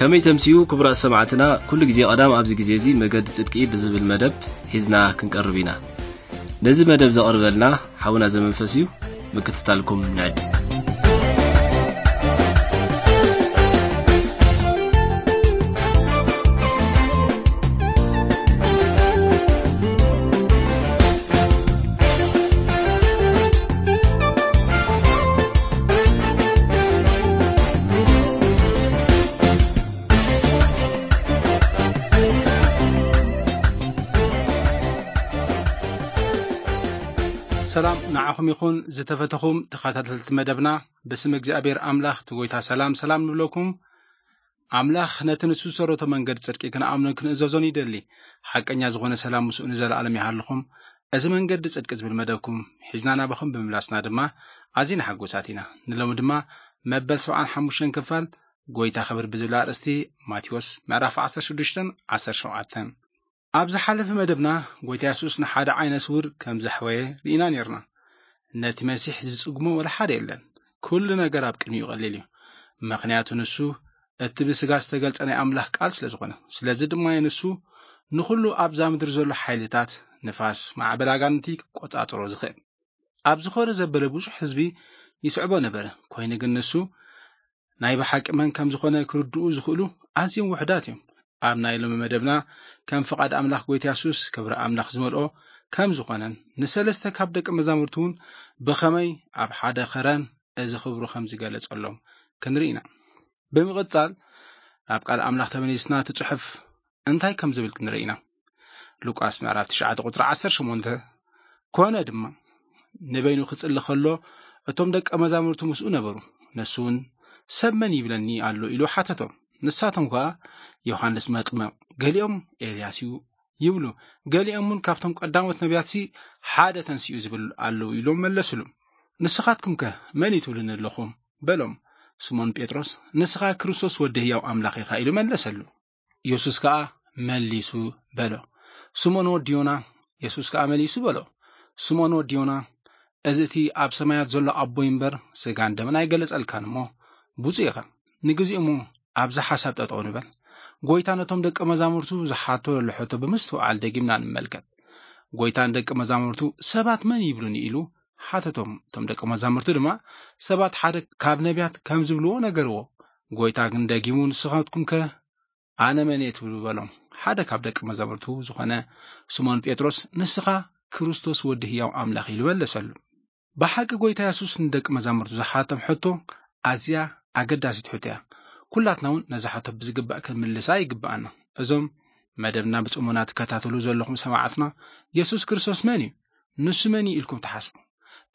ከመይ ተምስዩ ክቡራት ሰማዕትና፣ ኩሉ ግዜ ቀዳም ኣብዚ ግዜ እዚ መገዲ ጽድቂ ብዝብል መደብ ሒዝና ክንቀርብ ኢና። ነዚ መደብ ዘቕርበልና ሓውና ዘመንፈስ እዩ። ምክትታልኩም ንዕድም። ሰላም ንዓኹም ይኹን ዝተፈተኹም ተኸታተልቲ መደብና። ብስም እግዚኣብሔር ኣምላኽ እቲ ጎይታ ሰላም ሰላም ንብለኩም። ኣምላኽ ነቲ ንሱ ዝሰረቶ መንገዲ ጽድቂ ክንኣምኖን ክንእዘዞን ይደሊ። ሓቀኛ ዝኾነ ሰላም ምስኡ ንዘለኣለም ይሃልኹም። እዚ መንገዲ ጽድቂ ዝብል መደብኩም ሒዝና ናባኹም ብምምላስና ድማ ኣዚና ሓጎሳት ኢና። ንሎሚ ድማ መበል ሰብዓን ሓሙሽተን ክፋል ጎይታ ክብር ብዝብል ኣርእስቲ ማቴዎስ ምዕራፍ ዓሰርተ ሽዱሽተን ዓሰርተ ሸውዓተን። ኣብ ዝሓለፈ መደብና ጎይታ የሱስ ንሓደ ዓይነ ስውር ከም ዘሕወየ ርኢና ኔርና። ነቲ መሲሕ ዝጽግሞ ወላ ሓደ የለን። ኩሉ ነገር ኣብ ቅድሚኡ ቀሊል እዩ። ምኽንያቱ ንሱ እቲ ብስጋ ዝተገልጸ ናይ ኣምላኽ ቃል ስለ ዝኾነ። ስለዚ ድማ እዩ ንሱ ንኹሉ ኣብዛ ምድሪ ዘሎ ሓይልታት፣ ንፋስ፣ ማዕበል ኣጋንንቲ ክቆጻጸሮ ዝኽእል። ኣብ ዝኾነ ዘበለ ብዙሕ ህዝቢ ይስዕቦ ነበረ። ኮይኑ ግን ንሱ ናይ ብሓቂ መን ከም ዝኾነ ክርድኡ ዝኽእሉ ኣዝዮም ውሑዳት እዮም። ኣብ ናይ ሎሚ መደብና ከም ፍቓድ ኣምላኽ ጎይታ የሱስ ክብሪ ኣምላኽ ዝመልኦ ከም ዝኾነን ንሰለስተ ካብ ደቂ መዛሙርቱ እውን ብኸመይ ኣብ ሓደ ኸረን እዚ ክብሩ ከም ዝገለጸሎም ክንርኢ ኢና። ብምቕጻል ናብ ቃል ኣምላኽ ተመሊስና እቲ ጽሑፍ እንታይ ከም ዝብል ክንርኢ ኢና። ሉቃስ ምዕራፍ ትሽዓተ ቁጽሪ ዓሰርተ ሸሞንተ፣ ኮነ ድማ ንበይኑ ክጽሊ ከሎ እቶም ደቀ መዛሙርቱ ምስኡ ነበሩ። ንሱ እውን ሰብ መን ይብለኒ ኣሎ ኢሉ ሓተቶም። ንሳቶም ከኣ ዮሃንስ መጥምቕ፣ ገሊኦም ኤልያስ እዩ ይብሉ፣ ገሊኦም እውን ካብቶም ቀዳሞት ነቢያትሲ ሓደ ተንሲኡ ዝብል ኣለዉ ኢሎም መለስሉ። ንስኻትኩምከ መን እዩ ትብሉኒ ኣለኹም? በሎም። ስሞን ጴጥሮስ ንስኻ ክርስቶስ ወዲ ህያው ኣምላኽ ኢኻ ኢሉ መለሰሉ። የሱስ ከኣ መሊሱ በሎ፣ ስምኦን ወዲ ዮና። የሱስ ከኣ መሊሱ በሎ፣ ስምኦን ወዲ ዮና፣ እዚ እቲ ኣብ ሰማያት ዘሎ ኣቦይ እምበር ስጋን ደምን ኣይገለጸልካን እሞ ብፁዕ ኢኻ። ንግዜኡ እሞ ኣብዚ ሓሳብ ጠጠው ንበል። ጎይታ ነቶም ደቂ መዛሙርቱ ዝሓቶ ዘሎ ሕቶ ብምስትውዓል ደጊምና ንመልከት። ጎይታ ንደቂ መዛሙርቱ ሰባት መን ይብሉኒ ኢሉ ሓተቶም። እቶም ደቂ መዛሙርቱ ድማ ሰባት ሓደ ካብ ነቢያት ከም ዝብልዎ ነገርዎ። ጎይታ ግን ደጊሙ ንስኻትኩምከ ኣነ መን እየ ትብሉ በሎም። ሓደ ካብ ደቂ መዛሙርቱ ዝኾነ ስሞን ጴጥሮስ ንስኻ ክርስቶስ ወዲ ህያው ኣምላኽ ኢሉ መለሰሉ። ብሓቂ ጎይታ የሱስ ንደቂ መዛሙርቱ ዝሓቶም ሕቶ ኣዝያ ኣገዳሲት ሕቶ እያ። ኩላትና እውን ነዛ ሕቶ ብዝግባእ ክንምልሳ ይግብኣና። እዞም መደብና ብጽሞና ትከታተሉ ዘለኹም ሰማዕትና፣ የሱስ ክርስቶስ መን እዩ? ንሱ መን እዩ ኢልኩም ትሓስቡ?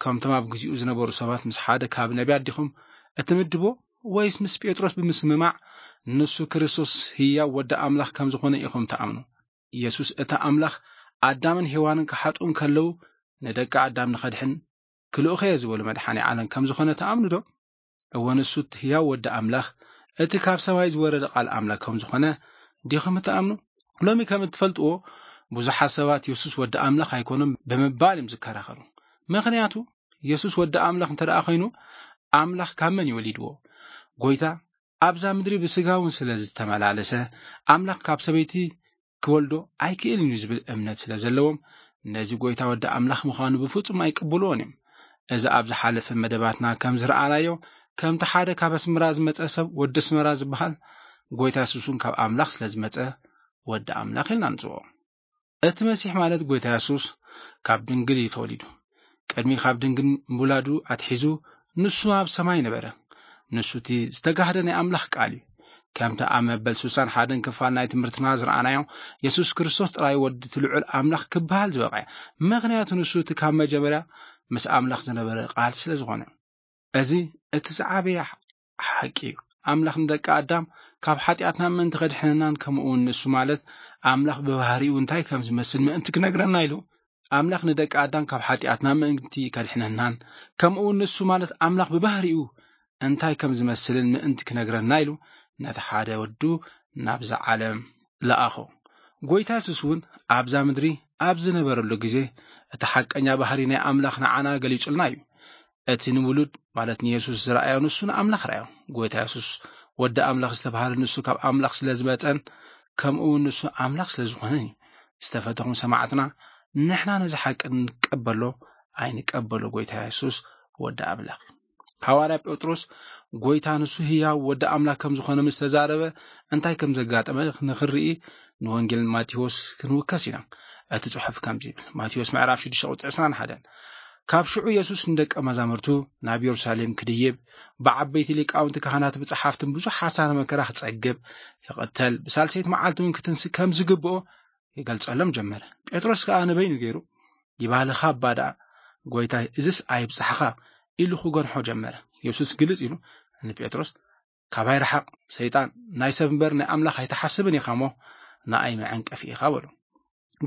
ከምቶም ኣብ ግዜኡ ዝነበሩ ሰባት ምስ ሓደ ካብ ነቢያት ዲኹም እትምድቦ? ወይስ ምስ ጴጥሮስ ብምስምማዕ ንሱ ክርስቶስ ህያው ወዲ ኣምላኽ ከም ዝኾነ ኢኹም ትኣምኑ? የሱስ እቲ ኣምላኽ ኣዳምን ሄዋንን ክሓጥኡ እንከለዉ ንደቂ ኣዳም ንኸድሕን ክልእኸዮ ዝበሉ መድሓኒ ዓለም ከም ዝኾነ ትኣምኑ ዶ? እወ ንሱ እቲ ህያው ወዲ ኣምላኽ፣ እቲ ካብ ሰማይ ዝወረደ ቃል ኣምላኽ ከም ዝኾነ ዲኹም እትኣምኑ? ሎሚ ከም እትፈልጥዎ ብዙሓት ሰባት የሱስ ወዲ ኣምላኽ ኣይኮነን ብምባል እዮም ዝከራኸሩ። ምኽንያቱ የሱስ ወዲ ኣምላኽ እንተ ደኣ ኮይኑ ኣምላኽ ካብ መን እዩ ወሊድዎ? ጎይታ ኣብዛ ምድሪ ብስጋ እውን ስለ ዝተመላለሰ ኣምላኽ ካብ ሰበይቲ ክወልዶ ኣይክእልን እዩ ዝብል እምነት ስለ ዘለዎም ነዚ ጎይታ ወዲ ኣምላኽ ምዃኑ ብፍጹም ኣይቅብልዎን እዮም። እዚ ኣብ ዝሓለፈ መደባትና ከም ዝረኣናዮ ከምቲ ሓደ ካብ ኣስመራ ዝመጸ ሰብ ወዲ ኣስመራ ዝበሃል ጎይታ የሱስ እውን ካብ ኣምላኽ ስለ ዝመጸ ወዲ ኣምላኽ ኢልና ንጽውዖ። እቲ መሲሕ ማለት ጎይታ የሱስ ካብ ድንግል እዩ ተወሊዱ። ቅድሚ ካብ ድንግል ምውላዱ ኣትሒዙ ንሱ ኣብ ሰማይ ነበረ። ንሱ እቲ ዝተጋህደ ናይ ኣምላኽ ቃል እዩ። ከምቲ ኣብ መበል ስሳን ሓደን ክፋል ናይ ትምህርትና ዝረኣናዮ የሱስ ክርስቶስ ጥራይ ወዲ እቲ ልዑል ኣምላኽ ክበሃል ዝበቕዐ። ምኽንያቱ ንሱ እቲ ካብ መጀመርያ ምስ ኣምላኽ ዝነበረ ቃል ስለ ዝኾነ። እዚ እቲ ዝዓበየ ሓቂ እዩ። ኣምላኽ ንደቂ ኣዳም ካብ ሓጢኣትና ምእንቲ ከድሕነናን ከምኡ እውን ንሱ ማለት ኣምላኽ ብባህሪኡ እንታይ ከም ዝመስል ምእንቲ ክነግረና ኢሉ ኣምላኽ ንደቂ ኣዳም ካብ ሓጢኣትና ምእንቲ ከድሕነናን ከምኡ እውን ንሱ ማለት ኣምላኽ ብባህሪኡ እንታይ ከም ዝመስልን ምእንቲ ክነግረና ኢሉ ነቲ ሓደ ወዱ ናብዛ ዓለም ለኣኾ። ጎይታ የሱስ እውን ኣብዛ ምድሪ ኣብ ዝነበረሉ ግዜ እቲ ሓቀኛ ባህሪ ናይ ኣምላኽ ንዓና ገሊጹልና እዩ። እቲ ንውሉድ ማለት ንየሱስ ዝረኣዮ ንሱ ንኣምላኽ ረኣዮ። ጎይታ የሱስ ወዲ ኣምላኽ ዝተባህለ ንሱ ካብ ኣምላኽ ስለ ዝመጸን ከምኡ እውን ንሱ ኣምላኽ ስለ ዝኾነን እዩ። ዝተፈተኹም ሰማዕትና፣ ንሕና ነዚ ሓቂ ንቀበሎ ኣይንቀበሎ፣ ጎይታ የሱስ ወዲ ኣምላኽ እዩ። ሃዋርያ ጴጥሮስ ጎይታ ንሱ ህያው ወዲ ኣምላኽ ከም ዝኾነ ምስ ተዛረበ እንታይ ከም ዘጋጠመ ንኽንርኢ ንወንጌል ማቴዎስ ክንውከስ ኢና። እቲ ጽሑፍ ከምዚ ይብል፣ ማቴዎስ ምዕራፍ ሽዱሽተ ቁጽሪ ዕስራን ሓደን፣ ካብ ሽዑ የሱስ ንደቀ መዛሙርቱ ናብ የሩሳሌም ክድይብ ብዓበይቲ ሊቃውንቲ ካህናት ብጸሓፍትን ብዙሕ ሓሳረ መከራ ክጸግብ፣ ክቕተል፣ ብሳልሰይቲ መዓልቲ እውን ክትንስእ ከም ዝግብኦ ይገልጸሎም ጀመረ። ጴጥሮስ ከኣ ንበይኑ ገይሩ፣ ይባልኻ እባ ደኣ፣ ጎይታይ፣ እዝስ ኣይብጻሕኻ፣ ኢሉ ክገንሖ ጀመረ። የሱስ ግልጽ ኢሉ ንጴጥሮስ፣ ካባይ ርሓቕ ሰይጣን፣ ናይ ሰብ እምበር ናይ ኣምላኽ ኣይትሓስብን ኢኻ እሞ ንኣይ መዐንቀፊ ኢኻ በሎ።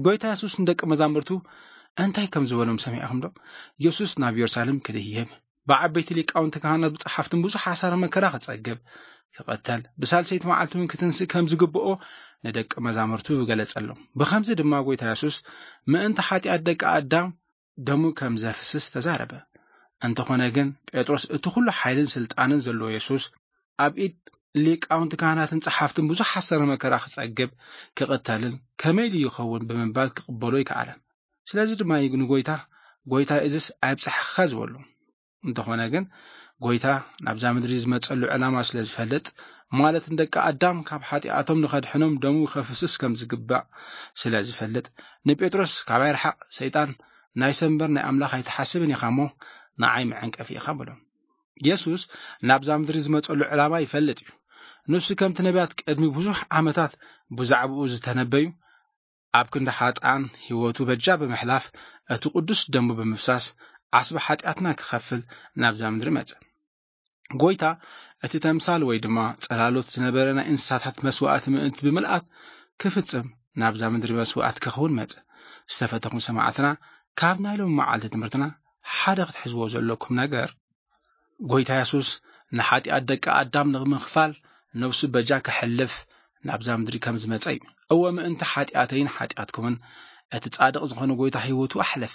ጎይታ የሱስ ንደቂ መዛምርቱ እንታይ ከም ዝበሎም ሰሚዕኹም ዶ? የሱስ ናብ የሩሳሌም ክድይብ፣ ብዓበይቲ ሊቃውንቲ ካህናት ብጸሓፍትን ብዙሕ ሓሳረ መከራ ክጸግብ፣ ክቐተል፣ ብሳልሰይቲ መዓልቲ እውን ክትንስእ ከም ዝግብኦ ንደቂ መዛምርቱ ገለጸሎም። ብኸምዚ ድማ ጎይታ የሱስ ምእንቲ ሓጢኣት ደቂ ኣዳም ደሙ ከም ዘፍስስ ተዛረበ። እንተኾነ ግን ጴጥሮስ እቲ ኩሉ ሓይልን ስልጣንን ዘለዎ የሱስ ኣብ ኢድ ሊቃውንቲ ካህናትን ጸሓፍትን ብዙሕ ሓሳረ መከራ ክጸግብ፣ ክቕተልን ከመይ ኢሉ ይኸውን ብምባል ክቕበሎ ኣይከኣለን። ስለዚ ድማ እዩ ንጎይታ፣ ጎይታ እዝስ ኣይብጻሕኻ ዝበሎ። እንተኾነ ግን ጎይታ ናብዛ ምድሪ ዝመጸሉ ዕላማ ስለ ዝፈልጥ፣ ማለት ንደቂ ኣዳም ካብ ሓጢኣቶም ንኸድሕኖም ደሙ ከፍስስ ከም ዝግባእ ስለ ዝፈልጥ፣ ንጴጥሮስ ካባይ ርሓቕ ሰይጣን፣ ናይ ሰብ እምበር ናይ ኣምላኽ ኣይትሓስብን ኢኻ እሞ ንዓይ መዐንቀፊ ኢኻ በሎ። የሱስ ናብዛ ምድሪ ዝመጸሉ ዕላማ ይፈልጥ እዩ። ንሱ ከምቲ ነቢያት ቅድሚ ብዙሕ ዓመታት ብዛዕባኡ ዝተነበዩ ኣብ ክንዲ ሓጥኣን ህይወቱ በጃ ብምሕላፍ እቲ ቅዱስ ደሙ ብምፍሳስ ዓስቢ ሓጢኣትና ክኸፍል ናብዛ ምድሪ መጸ። ጎይታ እቲ ተምሳል ወይ ድማ ጸላሎት ዝነበረ ናይ እንስሳታት መስዋእቲ ምእንቲ ብምልኣት ክፍጽም ናብዛ ምድሪ መስዋእት ክኸውን መጸ። ዝተፈተኹም ሰማዕትና፣ ካብ ናይ ሎም መዓልቲ ትምህርትና ሓደ ክትሕዝዎ ዘለኩም ነገር፣ ጎይታ የሱስ ንሓጢኣት ደቂ ኣዳም ንምኽፋል ነብሱ በጃ ክሕልፍ ናብዛ ምድሪ ከም ዝመጸ እዩ። እወ ምእንቲ ሓጢኣተይን ሓጢኣትኩምን እቲ ጻድቕ ዝኾነ ጎይታ ህይወቱ ኣሕለፈ።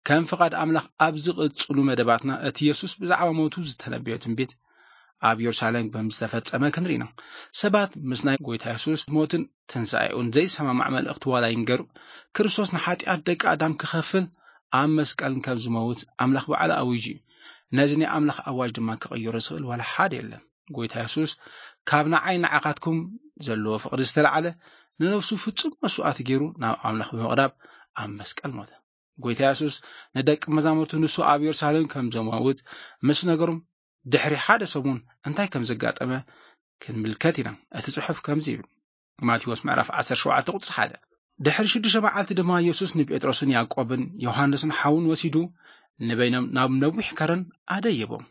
ከም ፍቓድ ኣምላኽ ኣብ ዝቕጽሉ መደባትና እቲ የሱስ ብዛዕባ ሞቱ ዝተነበዮ ትንቢት ኣብ የሩሳሌም ከም ዝተፈጸመ ክንርኢ ኢና። ሰባት ምስ ናይ ጎይታ የሱስ ሞትን ትንሳኤኡን ዘይሰማማዕ መልእኽቲ ዋላ ይንገሩ፣ ክርስቶስ ንሓጢኣት ደቂ ኣዳም ክኸፍል ኣብ መስቀል ከም ዝመውት ኣምላኽ ባዕሉ ኣዊጁ እዩ። ነዚ ናይ ኣምላኽ ኣዋጅ ድማ ክቕይሮ ዝኽእል ዋላ ሓደ የለን። ጎይታ የሱስ ካብ ንዓይ ንዓኻትኩም ዘለዎ ፍቕሪ ዝተላዕለ ንነፍሱ ፍጹም መስዋእቲ ገይሩ ናብ ኣምላኽ ብምቕራብ ኣብ መስቀል ሞተ። ጎይታ የሱስ ንደቂ መዛሙርቱ ንሱ ኣብ የሩሳሌም ከም ዘመውት ምስ ነገሮም ድሕሪ ሓደ ሰሙን እንታይ ከም ዘጋጠመ ክንምልከት ኢና። እቲ ጽሑፍ ከምዚ ይብል። ማቴዎስ ምዕራፍ ዓሰርተ ሸውዓተ ቁጽሪ ሓደ። ድሕሪ ሽዱሽተ መዓልቲ ድማ የሱስ ንጴጥሮስን ያዕቆብን ዮሃንስን ሓውን ወሲዱ ንበይኖም ናብ ነዊሕ ከረን ኣደየቦም።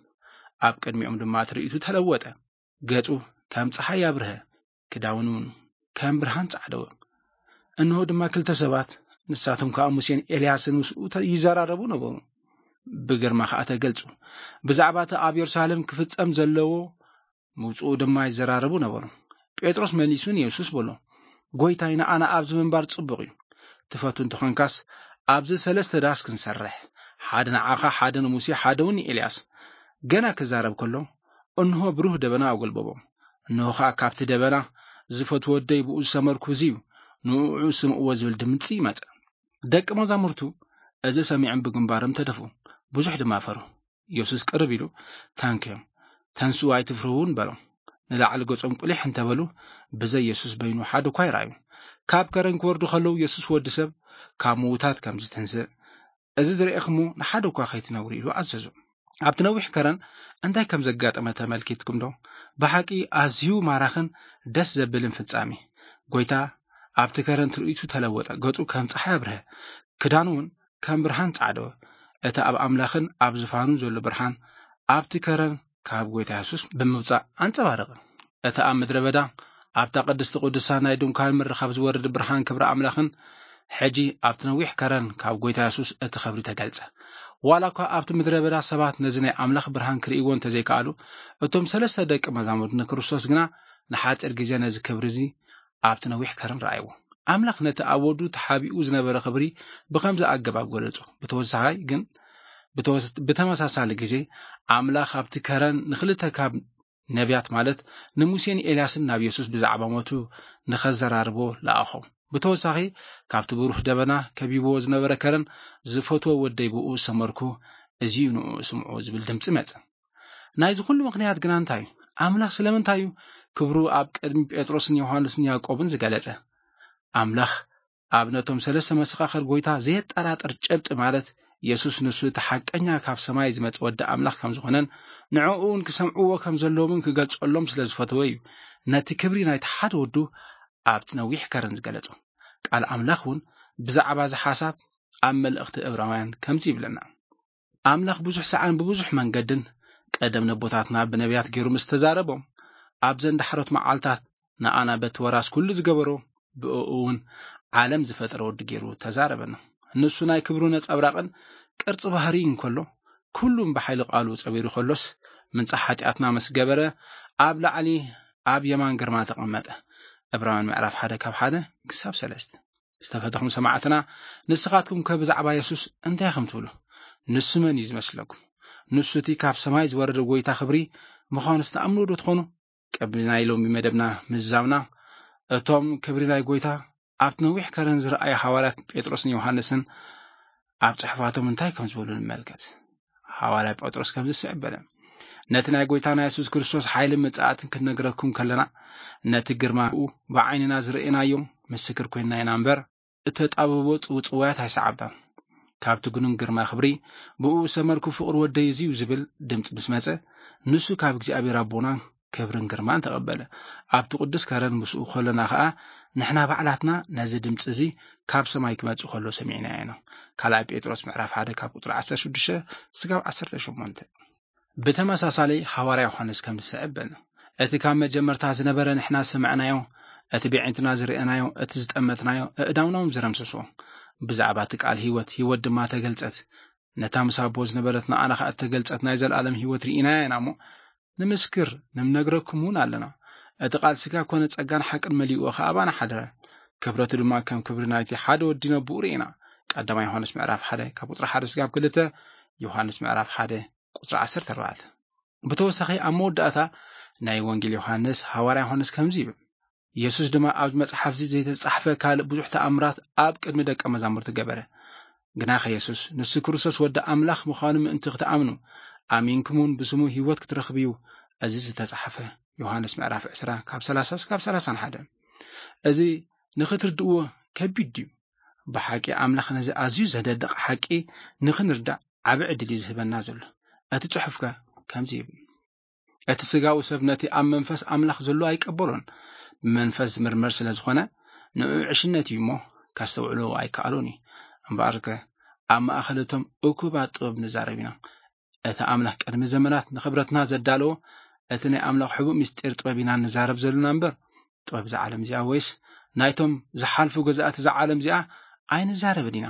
ኣብ ቅድሚኦም ድማ ትርኢቱ ተለወጠ። ገጹ ከም ጸሓይ ኣብርሀ፣ ክዳውኑ እውን ከም ብርሃን ጻዕደወ። እንሆ ድማ ክልተ ሰባት፣ ንሳቶም ከኣ ሙሴን ኤልያስን ምስኡ ተ-፣ ይዘራረቡ ነበሩ። ብግርማ ከኣ ተገልጹ። ብዛዕባ እቲ ኣብ የሩሳሌም ክፍጸም ዘለዎ ምውጽኡ ድማ ይዘራረቡ ነበሩ። ጴጥሮስ መሊሱ ንየሱስ በሎ፣ "ጎይታይ፣ ንኣና ኣብዚ ምንባር ጽቡቕ እዩ። ትፈቱ እንተኾንካስ ኣብዚ ሰለስተ ዳስ ክንሰርሕ፣ ሓደ ንዓኻ፣ ሓደ ንሙሴ፣ ሓደ እውን ንኤልያስ።" ገና ክዛረብ ከሎ፣ እንሆ ብሩህ ደበና ኣጎልበቦም። እንሆ ኸኣ ካብቲ ደበና፣ "ዝፈትዎ ወደይ ብኡ ዝሰመርኩ እዚ እዩ፣ ንዕኡ ስምዕዎ" ዝብል ድምጺ መጸ። ደቂ መዛሙርቱ እዚ ሰሚዖም ብግንባሮም ተደፍኡ፣ ብዙሕ ድማ ፈርሁ። የሱስ ቅርብ ኢሉ፣ "ተንክዮም፣ ተንስኡ፣ ኣይትፍርሁን" በሎም። ንላዕሊ ገጾም ቁሊሕ እንተበሉ፣ ብዘይ የሱስ በይኑ ሓደ እኳ ኣይረኣዩን። ካብ ከረን ክወርዱ ከለዉ፣ የሱስ ወዲ ሰብ ካብ ምዉታት ከም ዝትንስእ፣ እዚ ዝረኤኹሞ ንሓደ እኳ ከይትነግሩ ኢሉ ኣዘዞም። ኣብቲ ነዊሕ ከረን እንታይ ከም ዘጋጠመ ተመልኪትኩም ዶ? ብሓቂ ኣዝዩ ማራኽን ደስ ዘብልን ፍጻሜ። ጎይታ ኣብቲ ከረን ትርኢቱ ተለወጠ፣ ገጹ ከም ጸሓይ ኣብርሀ፣ ክዳኑ እውን ከም ብርሃን ጻዕደወ። እቲ ኣብ ኣምላኽን ኣብ ዝፋኑን ዘሎ ብርሃን ኣብቲ ከረን ካብ ጎይታ የሱስ ብምውጻእ ኣንጸባረቐ። እቲ ኣብ ምድረ በዳ ኣብታ ቅድስቲ ቅዱሳን ናይ ድንኳን ምርኻብ ዝወርድ ብርሃን ክብሪ ኣምላኽን ሕጂ ኣብቲ ነዊሕ ከረን ካብ ጎይታ የሱስ እቲ ክብሪ ተገልጸ። ዋላ እኳ ኣብቲ ምድረ በዳ ሰባት ነዚ ናይ ኣምላኽ ብርሃን ክርእይዎ እንተዘይከኣሉ፣ እቶም ሰለስተ ደቂ መዛሙርት ንክርስቶስ ግና ንሓጺር ግዜ ነዚ ክብሪ እዚ ኣብቲ ነዊሕ ከረን ረኣይዎ። ኣምላኽ ነቲ ኣብ ወዱ ተሓቢኡ ዝነበረ ክብሪ ብኸምዚ ኣገባብ ገለጾ። ብተወሳኺ ግን፣ ብተወስ-፣ ብተመሳሳሊ ግዜ ኣምላኽ ኣብቲ ከረን ንኽልተ ካብ ነቢያት ማለት ንሙሴን ኤልያስን ናብ የሱስ ብዛዕባ ሞቱ ንኸዘራርቦ ለኣኾም። ብተወሳኺ፣ ካብቲ ብሩህ ደበና ከቢብዎ ዝነበረ ከረን ዝፈትዎ ወደይ ብኡ ሰመርኩ፣ እዚ እዩ ንኡ ስምዑ ዝብል ድምፂ መጸ። ናይዚ ኩሉ ምኽንያት ግና እንታይ እዩ? ኣምላኽ ስለምንታይ እዩ ክብሩ ኣብ ቅድሚ ጴጥሮስን ዮሃንስን ያዕቆብን ዝገለጸ? ኣምላኽ ኣብ ነቶም ሰለስተ መሰኻኽር ጎይታ ዘየጠራጥር ጭብጢ ማለት የሱስ ንሱ እቲ ሓቀኛ ካብ ሰማይ ዝመጸ ወዲ ኣምላኽ ከም ዝኾነን ንዕኡ እውን ክሰምዕዎ ከም ዘለዎምን ክገልጸሎም ስለ ዝፈተወ እዩ ነቲ ክብሪ ናይቲ ሓደ ወዱ ኣብቲ ነዊሕ ከረን ዝገለጾ። ቃል ኣምላኽ እውን ብዛዕባ እዚ ሓሳብ ኣብ መልእኽቲ እብራውያን ከምዚ ይብለና። ኣምላኽ ብዙሕ ሰዓን ብብዙሕ መንገድን ቀደም ነቦታትና ብነቢያት ገይሩ ምስ ተዛረቦም ኣብዘን ዳሕሮት መዓልታት ንኣና በቲ ወራስ ኩሉ ዝገበሮ ብእኡ እውን ዓለም ዝፈጠረ ወዲ ገይሩ ተዛረበና። ንሱ ናይ ክብሩ ነጸብራቕን ቅርጺ ባህሪ እንከሎ ኩሉም ብሓይሊ ቃሉ ጸቢሩ ከሎስ ምንጻ ሓጢኣትና ምስ ገበረ ኣብ ላዕሊ ኣብ የማን ግርማ ተቐመጠ። ዕብራውያን ምዕራፍ ሓደ ካብ ሓደ ክሳብ ሰለስተ። ዝተፈተኹም ሰማዕትና፣ ንስኻትኩም ከ ብዛዕባ የሱስ እንታይ ኢኹም ትብሉ? ንሱ መን እዩ ዝመስለኩም? ንሱ እቲ ካብ ሰማይ ዝወረደ ጎይታ ክብሪ ምዃኑስ ትኣምኑ ዶ ትኾኑ? ቅድሚ ናይ ሎሚ መደብና ምዝዛምና፣ እቶም ክብሪ ናይ ጎይታ ኣብቲ ነዊሕ ከረን ዝረኣዩ ሃዋርያት ጴጥሮስን ዮሃንስን ኣብ ጽሑፋቶም እንታይ ከም ዝበሉ ንመልከት። ሃዋርያ ጴጥሮስ ከምዚ ዝስዕብ በለ፣ ነቲ ናይ ጎይታና የሱስ ክርስቶስ ሓይልን ምጽኣትን ክንነግረኩም ከለና፣ ነቲ ግርማኡ ብዓይንና ዝረእናዮ ምስክር ኮይንና ኢና እምበር፣ እተጣበቦ ጽውጽዋያት ኣይሰዓብናን። ካብቲ ግኑን ግርማ ክብሪ፣ ብኡ ሰመርኩ ፍቕሪ ወደይ እዚ እዩ ዝብል ድምጺ ምስ መጸ፣ ንሱ ካብ እግዚኣብሔር ኣቦና ክብርን ግርማን ተቐበለ። ኣብቲ ቅዱስ ከረን ምስኡ ከለና ኸኣ፣ ንሕና ባዕላትና ነዚ ድምጺ እዚ ካብ ሰማይ ክመጽእ ከሎ ሰሚዕናዮ ኢና። ካልኣይ ጴጥሮስ ምዕራፍ ሓደ ካብ ቁጽሪ ዓሰርተ ሽዱሽተ ስጋብ ዓሰርተ ሸሞንተ። ብተመሳሳሊ ሃዋርያ ዮሃንስ ከም ዝስዕብ በለ፣ እቲ ካብ መጀመርታ ዝነበረ ንሕና ዝሰማዕናዮ፣ እቲ ብዒንትና ዝረኣናዮ፣ እቲ ዝጠመትናዮ፣ ኣእዳውና እውን ዝረምሰሶ። ብዛዕባ እቲ ቃል ህይወት፣ ህይወት ድማ ተገልጸት። ነታ ምስ ኣቦ ዝነበረት ንኣና ኸኣ እተገልጸት ናይ ዘለኣለም ህይወት ርኢናያ ኢና እሞ፣ ንምስክር፣ ንምነግረኩም እውን ኣለና። እቲ ቃል ስጋ ኮነ ጸጋን ሓቅን መሊእዎ ኸኣ ኣባና ሓደረ። ክብረቱ ድማ ከም ክብሪ ናይቲ ሓደ ወዲ ነብኡ ርኢና። ቀዳማይ ዮሃንስ ምዕራፍ ሓደ ካብ ቁጽሪ ሓደ ስጋብ ክልተ፣ ዮሃንስ ምዕራፍ ሓደ ቁጽሪ ዓሰርተ ኣርባዕተ። ብተወሳኺ ኣብ መወዳእታ ናይ ወንጌል ዮሃንስ፣ ሃዋርያ ዮሃንስ ከምዚ ይብል፣ የሱስ ድማ ኣብዚ መጽሓፍ እዚ ዘይተጻሕፈ ካልእ ብዙሕ ተኣምራት ኣብ ቅድሚ ደቀ መዛሙርቱ ገበረ። ግናኸ የሱስ፣ ንሱ ክርስቶስ ወዲ ኣምላኽ ምዃኑ ምእንቲ ክትኣምኑ፣ ኣሚንኩምውን ብስሙ ህይወት ክትረኽቡ እዩ እዚ ዝተጻሕፈ። ዮሃንስ ምዕራፍ ዕስራ ካብ ሰላሳ እስካብ ሰላሳን ሓደ። እዚ ንኽትርድእዎ ከቢድ ድዩ? ብሓቂ ኣምላኽ ነዚ ኣዝዩ ዘደንቕ ሓቂ ንኽንርዳእ ዓቢ ዕድል እዩ ዝህበና ዘሎ። እቲ ጽሑፍከ ከምዚ ይብል፣ እቲ ስጋዊ ሰብ ነቲ ኣብ መንፈስ ኣምላኽ ዘሎ ኣይቀበሎን። ብመንፈስ ዝምርመር ስለ ዝኾነ ንኡ ዕሽነት እዩ እሞ ከስተውዕሎ ኣይከኣሎን እዩ። እምበኣርከ ኣብ ማእኸል እቶም እኩባት ጥበብ ንዛረብ ኢና። እቲ ኣምላኽ ቅድሚ ዘመናት ንኽብረትና ዘዳለዎ እቲ ናይ ኣምላኽ ሕቡእ ምስጢር ጥበብ ኢና ንዛረብ ዘለና እምበር፣ ጥበብ እዛ ዓለም እዚኣ ወይስ ናይቶም ዝሓልፉ ገዛእቲ እዛ ዓለም እዚኣ ኣይንዛረብን ኢና።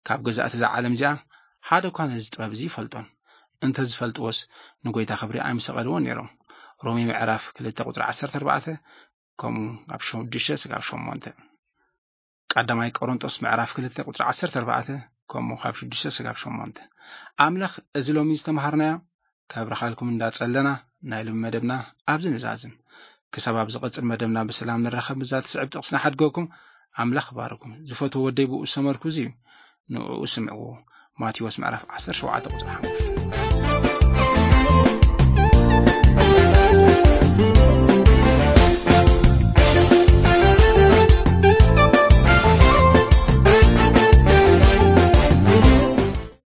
ካብ ገዛእቲ እዛ ዓለም እዚኣ ሓደ እኳ ነዚ ጥበብ እዚ ይፈልጦን። እንተ ዝፈልጥዎስ ንጎይታ ክብሪ ኣይምሰቐልዎን ነይሮም። ሮሜ ምዕራፍ ክልተ ቁጽሪ ዓሰርተ ኣርባዕተ፣ ከምኡ ኣብ ሽዱሽተ ስጋብ ሸሞንተ። ቀዳማይ ቆሮንጦስ ምዕራፍ ክልተ ቁጽሪ ዓሰርተ ኣርባዕተ፣ ከምኡ ካብ ሽዱሽተ ስጋብ ሸሞንተ። ኣምላኽ እዚ ሎሚ ዝተምሃርናዮ ከብርኻልኩም እንዳጸለና ናይ ሎሚ መደብና ኣብዚ ንዛዝም። ክሳብ ኣብ ዝቐጽል መደብና ብሰላም ንራኸብ፣ ብዛ ትስዕብ ጥቕስና ሓድገኩም። ኣምላኽ ባርኩም። ዝፈትዎ ወደይ ብኡ ዝሰመርኩ እዚ እዩ፣ ንዕኡ ስምዕዎ። ማቴዎስ ምዕራፍ ዓሰርተ ሸውዓተ ቁጽሪ ሓሙሽተ።